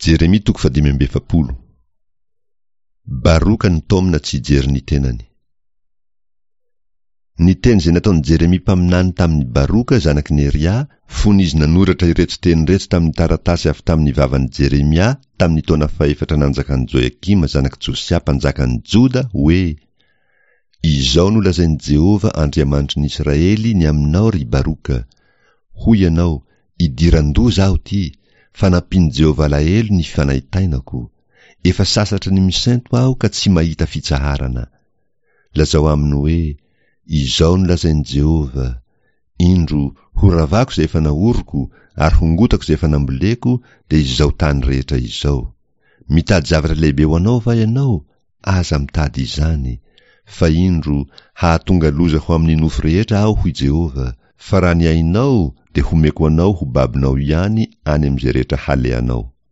Jeremia toko fahadimy amby 40. Baroka nitaomina tsy hijery ny tenany. Ny teny izay nataon'i Jeremia mpaminany tamin'i Baroka zanak'i Neria, fony izy nanoratra ireto teny ireto tamin'ny taratasy avy tamin'ny vavan'i Jeremia tamin'ny taona fahefatra nanjakan'i Joiakima zanak'i Josia mpanjakan'i Joda, hoe, Izao no lazain'i Jehovah Andriamanitry ny Israely ny aminao, ry Baroka, Hoy ianao, Idiran-doza aho ity, fa nampian'i Jehovah alahelo ny fanaintainako. Efa sasatry ny misento aho ka tsy mahita fitsaharana. Lazao aminy hoe, 'Izao no lazain'i Jehovah, Indro, horavako izay efa naoriko, ary hongotako izay efa namboleko, dia izao tany rehetra izao. Mitady zavatra lehibe ho anao va ianao? Aza mitady izany. Fa indro, hahatonga loza ho amin'ny nofo rehetra Aho, hoy Jehovah, fa raha ny ainao dia homeko anao ho babonao ihany any amin'izay rehetra halehanao.